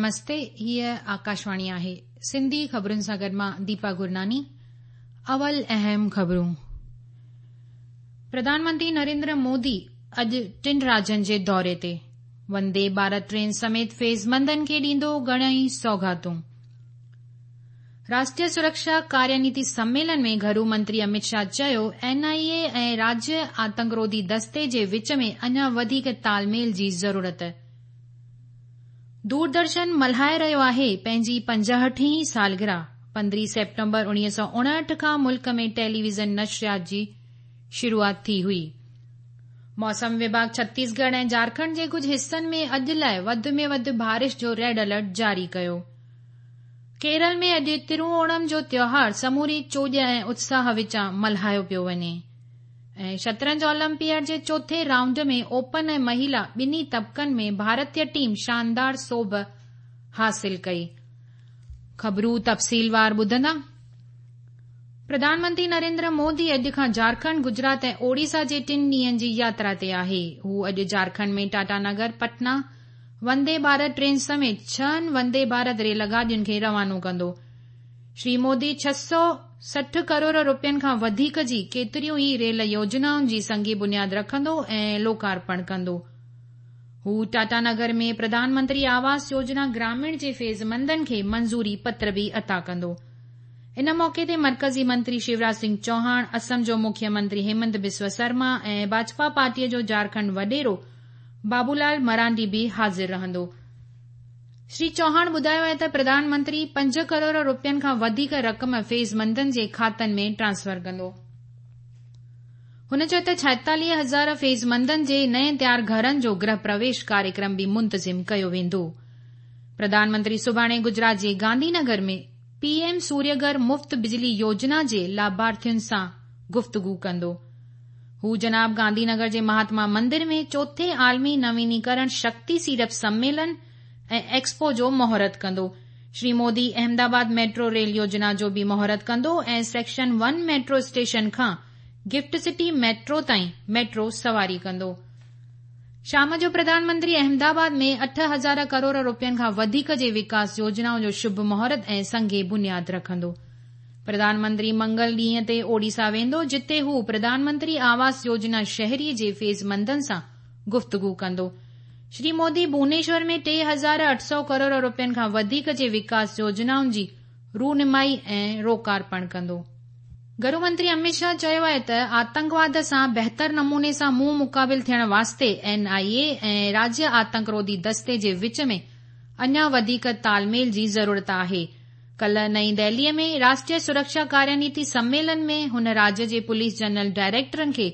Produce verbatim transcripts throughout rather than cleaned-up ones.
نمستي، هيء آڪاشواڻي آهي. سنڌي خبرن سان گڏ مان ديپا گرناني. اول اهم خبرون. پرڌان منتري نريندر مودي اڄ ٽن راجين جي دوري تي. وندي ڀارت ٽرين سميت فيضمندن کي ڏيندو گهڻئي سوغاتون. راشٽريه سرڪشا ڪارينيتي سميلن ۾ گهرو منتري امت شاهه چيو، اين آء اي ۽ راجيه آتنڪروڌي دستي جي وچ ۾ اڃا وڌيڪ تال ميل جي ضرورت. دوردرشن ملهائي رهيو آهي پنهنجي پنجهٺين سالگرهه. پندرهين سيپٽمبر اڻويهه سؤ اڻهٺ کان ملڪ ۾ ٽيليويزن نشريات جي شروعات ٿي هئي. موسم وڀاڳ ڇتيسڳڙهه ۽ جهارکنڊ جي ڪجهه حصن ۾ اڄ لاءِ وڌ ۾ وڌ بارش جو ريڊ الرٽ جاري ڪيو. ڪيرل ۾ اڄ تروئوڻم جو تيوهار سموري چوڄ ۽ اتساهه وچان ملهايو پيو وڃي. ۽ شطرنج اولمپياڊ جي چوٿين رائونڊ ۾ اوپن ۽ مهلا ٻنهي طبقن ۾ ڀارتيه ٽيم شاندار سوڀ حاصل ڪئي. خبرون تفصيلوار ٻڌندا. پرڌان منتري نريندر مودي اڄ کان جهارکنڊ، گجرات ۽ اوڙيسا جي ٽن ڏينهن جي ياترا تي آهي. هو اڄ جهارکنڊ ۾ ٽاٽا نگر پٽنا وندي ڀارت ٽرين سميت ڇهن وندي ڀارت ريل گاڏين کي روانو ڪندو. شري مودي ڇهه سؤ سٺ ڪروڙ روپين کان وڌيڪ جي ڪيتريون ئي ريل يوجنائن جي سنگ بنياد رکندو ۽ لوڪارپڻ ڪندو. هو ٽاٽا نگر ۾ پرڌان منتري آواس يوجنا گراميڻ جي فيضمندن کي منظوري پتر به عطا ڪندو. ان موقعي تي مرڪزي منتري شيوراج سنگهه چوهاڻ، اسم جو مکيه منتري هيمنت بسوا سرما ۽ ڀاجپا پارٽيءَ جو جهارکنڊ وڏيرو بابولال مرانڊي به حاضر رهندو. شري چوهاڻ ٻڌايو آهي ته پرڌان منتري پنج ڪروڙ روپين کان وڌيڪ رقم فيضمندن جي کاتن ۾ ٽرانسفر ڪندو. هن چيو ته ڇائيتاليهه هزار فيضمندن جي نئين تيار گهرن جو گرهه پرويش ڪاريڪرم به منتظم ڪيو ويندو. پرڌان منتري سڀاڻي گجرات جي گانڌي نگر ۾ پي ايم سوريگهر مفت بجلي يوجنا جي لاڀارٿين سان گفتگو ڪندو. هو جناب گانڌي نگر جي مهاتما مندر ۾ چوٿين عالمي نوينيڪرڻ شڪتي سيڙپ سميلن ۽ ايڪسپو جو مهورت ڪندو. شري مودي احمدآباد ميٽرو ريل يوجنا جو به مهورت ڪندو ۽ سيڪشن ون ميٽرو اسٽيشن کان گفٽ سٽي ميٽرو تائين ميٽرو سواري ڪندو. شام جو پرڌان منتري احمدآباد ۾ اٺ هزار ڪروڙ روپين کان وڌيڪ جي وڪاس يوجنائن جو شڀ مهورت ۽ سنگ بنياد رکندو. پرڌان منتري منگل ڏينهن تي اوڙيسا ويندو، جتي هو پرڌان منتري آواس يوجنا شهري جي فيضمندن سان گفتگو ڪندو. شري مودي ڀونيشور ۾ ٽي هزار اٺ سؤ ڪروڙ روپين کان وڌيڪ جي وڪاس يوجنائن جي رونمائي ۽ لوڪارپڻ ڪندو. گهرو منتري امت شاهه چيو آهي ته آتنڪواد سان بهتر نموني سان منهن مقابل ٿيڻ واسطي اين آء اي ۽ راجيه آتنڪروڌي دستي جي وچ ۾ اڃا وڌيڪ تال ميل جي ضرورت آهي. ڪالهه نئين دهليءَ ۾ راشٽريه سرڪشا ڪارينيتي سميلن ۾ هن راجيه جي پوليس جنرل ڊائريڪٽرن کي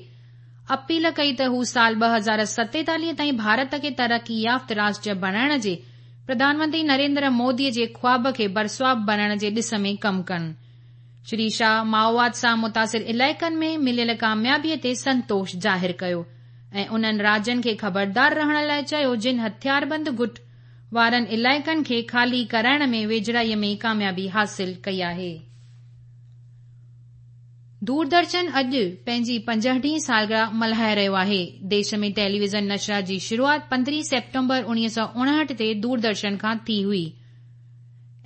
اپيل ڪئي ته هو سال ٻه هزار ستيتاليهه تائين ڀارت کي ترقي يافته راشٽر بڻائڻ جي پرڌان منتري نريندر مودي جي خواب کي برسواب بڻائڻ جي ڏس ۾ ڪم ڪن. شري شاهه مائوواد سان متاثر علائقن ۾ مليل ڪاميابيءَ تي سنتوش ظاهر ڪيو ۽ انهن راجين کي خبردار رهڻ لاءِ چيو جن هٿياربند گٽ وارن علائقن کي خالي ڪرائڻ ۾ ويجهڙائيءَ ۾ ڪاميابي حاصل ڪئي آهي. دوردرشن اڄ پنهنجي پنجهٺين سالگرهه ملهائي رهيو آهي. ديش ۾ ٽيليويزن نشريات جي شروعات پندرهين سيپٽمبر اڻويهه سؤ اڻهٺ تي دوردرشن کان ٿي هئي.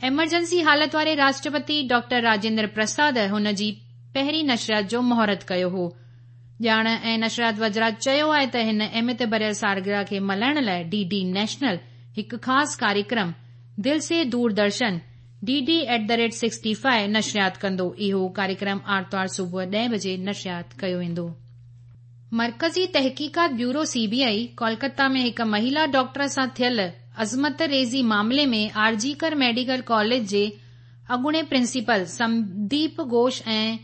ايمرجنسي حالت واري راشٽرپتي ڊاڪٽر راجيندر پرساد هن جي پهرين نشريات جو مهورت ڪيو هو. ڄاڻ ۽ نشريات وزارت چيو آهي ته هن اهميت ڀريل سالگرهه کي ملهائڻ لاءِ ڊي ڊي نيشنل هڪ خاص ڪاريڪرم دل سي Doordarshan D D at the rate sixty five نشريات ڪندو. اهو ڪاريڪرم آرتوار صبح ڏهه بجي نشريات ڪيو ويندو. مرڪزي تحقيقات bureau C B I Kolkata ۾ هڪ مهلا ڊاڪٽر سان ٿيل عصمت ريزي معاملي ۾ آرجي ڪر ميڊيڪل ڪاليج جي اڳوڻي پرنسپل سنديپ گهوش ۽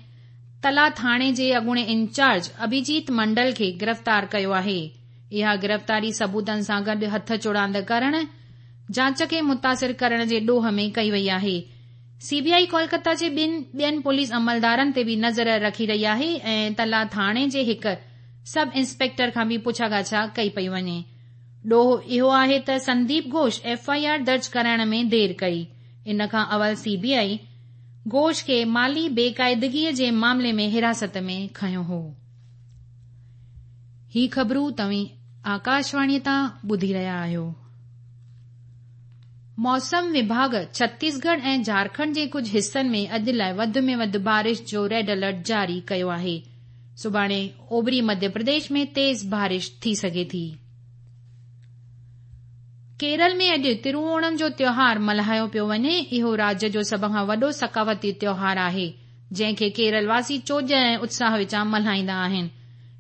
تلا ٿاڻي جي اڳوڻي انچارج اڀيجيت منڊل کي گرفتار ڪيو آهي. اها گرفتاري ثبوتن سان گڏ هٿ چڙاند ڪرڻ، جاچ کي متاثر ڪرڻ جي ڏوهه ۾ ڪئي وئي آهي. سي بي آئي ڪولڪتا جي ٻن ٻين پوليس عملدارن تي به نظر رکي رهي آهي ۽ تلا ٿاڻي جي هڪ سب انسپيڪٽر کان به پڇاڳاڇا ڪئي پئي وڃي. ڏوهه اهو آهي ته Sandeep Ghosh F I R درج ڪرائڻ ۾ دير ڪئي. ان کان اول سي بي آئي گهوش کي مالي بيقاعدگيءَ جي معاملي ۾ حراست ۾ کنيو هو. هي خبرون توهين آڪاشواڻيءَ تان ٻڌي رهيا آهيو. موسم وڀاڳ ڇتيسڳڙهه ۽ جهارکنڊ جي ڪجهه حصن ۾ اڄ لاءِ وڌ ۾ وڌ بارش جو ريڊ الرٽ جاري ڪيو آهي. سڀاڻي اوڀري مڌيه پرديش ۾ تيز بارش ٿي سگهي ٿي. ڪيرل ۾ اڄ ترووڻم جو تيوهار ملهايو پيو وڃي. اهو راجيه جو سڀ کان وڏو ثقافتي تيوهار آهي، جنهن کي ڪيرل واسي چوڄ ۽ اتساهه وچان ملهائيندا آهن.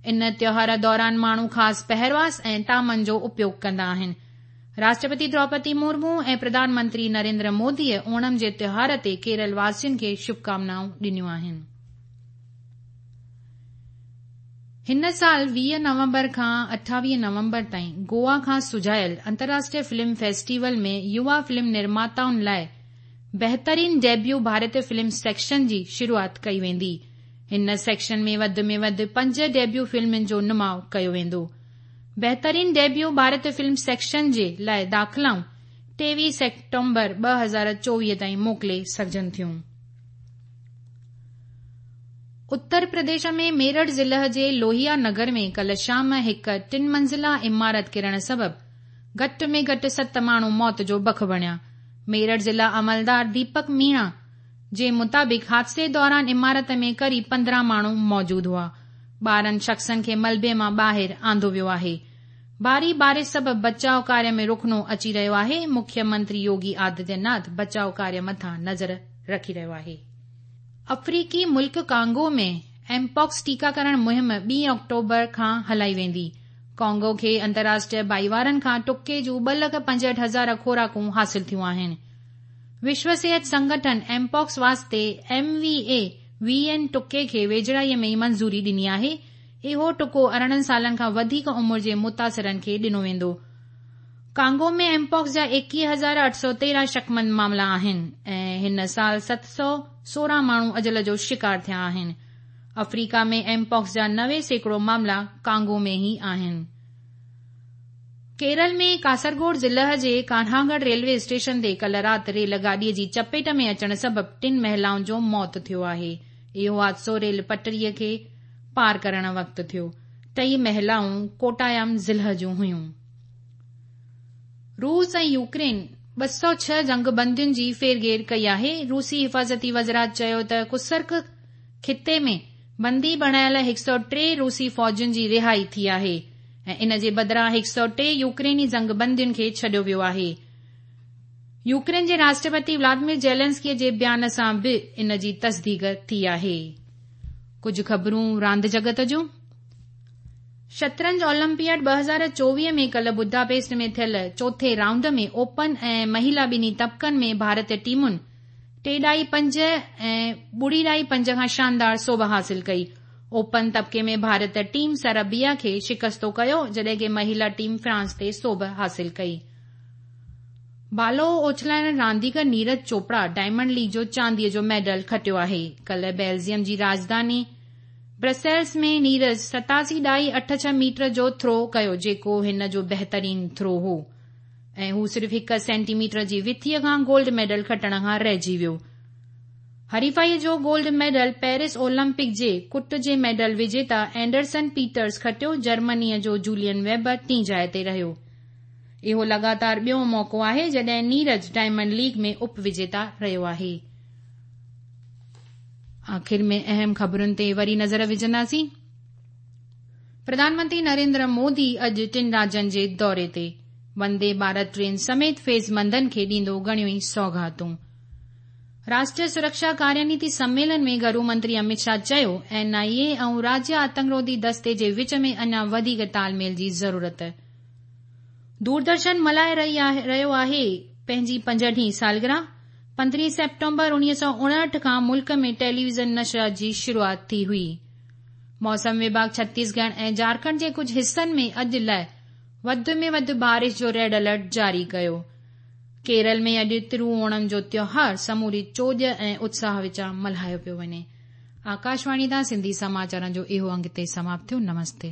ان تيوهار دوران ماڻهو خاص پهرواس ۽ طعامن جو اپيوگ ڪندا آهن. راشٽرپتي دروپدي مرمو ۽ پرڌان منتري نريندر موديء اوڻم جي تيوهار تي ڪيرل واسين کي شڀڪامنائون ڏنيون آهن. هن سال ويهه نومبر کان اٺاويهه نومبر تائين گوا کان سجايل انترراشٽريه فلم فيسٽيول ۾ يووا فلم نرماتائن لاءِ بهترين ڊيبيو ڀارتيه فلم سيڪشن جي شروعات ڪئي ويندي. هن سيڪشن ۾ وڌ ۾ وڌ پنج ڊيبيو فلمن جو نماءُ ڪيو ويندو. بهترين ڊيبيو ڀارتيه فلم سيڪشن جي لاءِ داخلائون ٽيويهه سيپٽمبر ٻه هزار چوويهه تائين موڪلي سگهجن ٿيون. اتر پرديش ۾ ميرٺ ضلعي جي لوهيا نگر ۾ ڪالهه شام هڪ ٽن منزلا عمارت ڪرڻ سبب گهٽ ۾ گهٽ ست ماڻهو موت جو بک بڻيا. ميرٺ ضلع عملدار ديپڪ ميڻا جي مطابق حادثي دوران عمارت ۾ قريب پندرهن ماڻهو موجود هئا. ٻارهن شخصن کي ملبي مان ٻاهر آندو ويو آهي. ڀاري بارش سبب بچاءُ ڪاريه ۾ رخنو اچي رهيو آهي. مکيه منتري يوگي آدتيه ناٿ بچاءُ ڪاريه مٿان نظر رکي رهيو آهي. آفريقي ملڪ ڪانگو ۾ ايمپاڪس ٽيڪاڪرڻ مهم ٻي آڪٽوبر کان هلائي ويندي. ڪانگو کي انترراشٽريه ڀائيوارن کان ٽڪي جون ٻه لک پنجهٺ هزار خوراڪون حاصل ٿيون آهن. وشو صحت سنگٺن ايمپاڪس واسطي ايم وي اي وي اين ٽڪي کي ويجهڙائيءَ ۾ ئي منظوري ڏني آهي. اهو ٽڪو ارڙهن سالن کان وڌيڪ عمر جي متاثرن کي ڏنو ويندو. ڪانگو ۾ ايمپاڪس جا ايڪويهه هزار اٺ سؤ تيرهن شڪمند معاملا آهن ۽ هن سال ست سؤ سورهن ماڻهو اجل جو شڪار ٿيا آهن. آفريڪا ۾ ايمپاڪس جا نوي سيڪڙو معاملا ڪانگو ۾ ئي آهن. ڪيرل ۾ ڪاسرگوڊ ضلعي جي ڪانهاگڙهه ريلوي اسٽيشن تي ڪالهه رات ريل گاڏيءَ جي چپيٽ ۾ اچڻ سبب ٽن مهلائن جو موت ٿيو آهي. اهو حادثو ريل پٽڙيءَ کي پار ڪرڻ وقت ٿيو. ٽئي مهلائون ڪوٽايام ضلعي جون هيون. روس ۽ يوڪرين ٻه سؤ ڇهه جنگبندين جي ڦيرگهير ڪئي آهي. روسي حفاظتي وزارت چيو ته ڪرسڪ خطي ۾ بندي بڻايل هڪ سؤ ٽي روسي فوجين جي رهائي ٿي آهي ۽ ان جي بدران هڪ سؤ ٽي يوڪريني جنگبندين کي ڇڏيو ويو آهي. يوڪرين جي راشٽرپتي ولاديمير زيلنسڪي جي بيان سان به ان جي تصديق ٿي آهي. ڪجهه خبرون راند جڳت جون. شطرنج اولمپياڊ ٻه هزار چوويهه ۾ ڪالهه بڊاپيسٽ ۾ ٿيل چوٿين رائونڊ ۾ اوپن ۽ مهلا ٻنهي طبقن ۾ ڀارتيه ٽيمن ٽي ڏهائي پنج ۽ ٻڙي ڏهائي پنج کان شاندار سوڀ حاصل ڪئي. اوپن طبقي ۾ ڀارتيه ٽيم سربيا کي شڪستو ڪيو، جڏهن ڪه مهلا ٽيم فرانس تي سوڀ حاصل ڪئي. بالو اڇلائڻ رانديگر نيرج چوپڙا ڊائمنڊ ليگ جو چانديءَ جو ميڊل کٽيو آهي. ڪالهه بيلجيم جي راڄڌاني برسلز ۾ نيرج ستاسي ڏهائي اٺ ڇهه ميٽر جو ٿرو ڪيو، جيڪو هن جو بهترين ٿرو هو ۽ هو صرف هڪ سينٽي ميٽر جي وٿيءَ کان گولڊ ميڊل کٽڻ کان رهجي ويو. حريفائيءَ جو گولڊ ميڊل پيرس اولمپڪ جي ڪٽ جي ميڊل وجيتا اينڊرسن پيٽرز کٽيو. جرمنيءَ جو جولين ويبر ٽين جاءِ تي رهيو. اهو لڳاتار ٻيو موقعو آهي جڏهن نيرج ڊائمنڊ ليگ ۾ اپ وجيتا رهيو آهي. آخر ۾ اهم خبرن تي وري نظر وجهنداسين. پرڌان منتري نريندر مودي اڄ ٽن راجين جي دوري تي. وندي ڀارت ٽرين سميت فيضمندن کي ڏيندو گهڻيون ئي سوغاتون. راشٽريه سرڪشا ڪارينيتي سميلن ۾ گهرو منتري امت شاهه چيو اين I اي ۽ راجيه آتنڪروڌي دستي جي وچ ۾ اڃا وڌيڪ تال ميل جي ضرورت. دوردرشن ملهائي رهيو آهي پنهنجي پنجهٺين سالگرهه. پندرهين سيپٽمبر اڻويهه سؤ اڻهٺ کان ملڪ ۾ ٽيليويزن نشريات جي شروعات ٿي هئي. موسم وڀاڳ ڇتيسڳڙهه ۽ جهارکنڊ جي ڪجهه حصن ۾ اڄ لاءِ وڌ ۾ وڌ بارش جو ريڊ الرٽ جاري ڪيو. ڪيرل ۾ اڄ ترووڻم جو تيوهار سموري چوڄ ۽ اتساهه وچان ملهايو پيو وڃي. آڪاشواڻي تان سنڌي سماچارن جو اهو انگ هتي سماپت ٿيو. نمستي.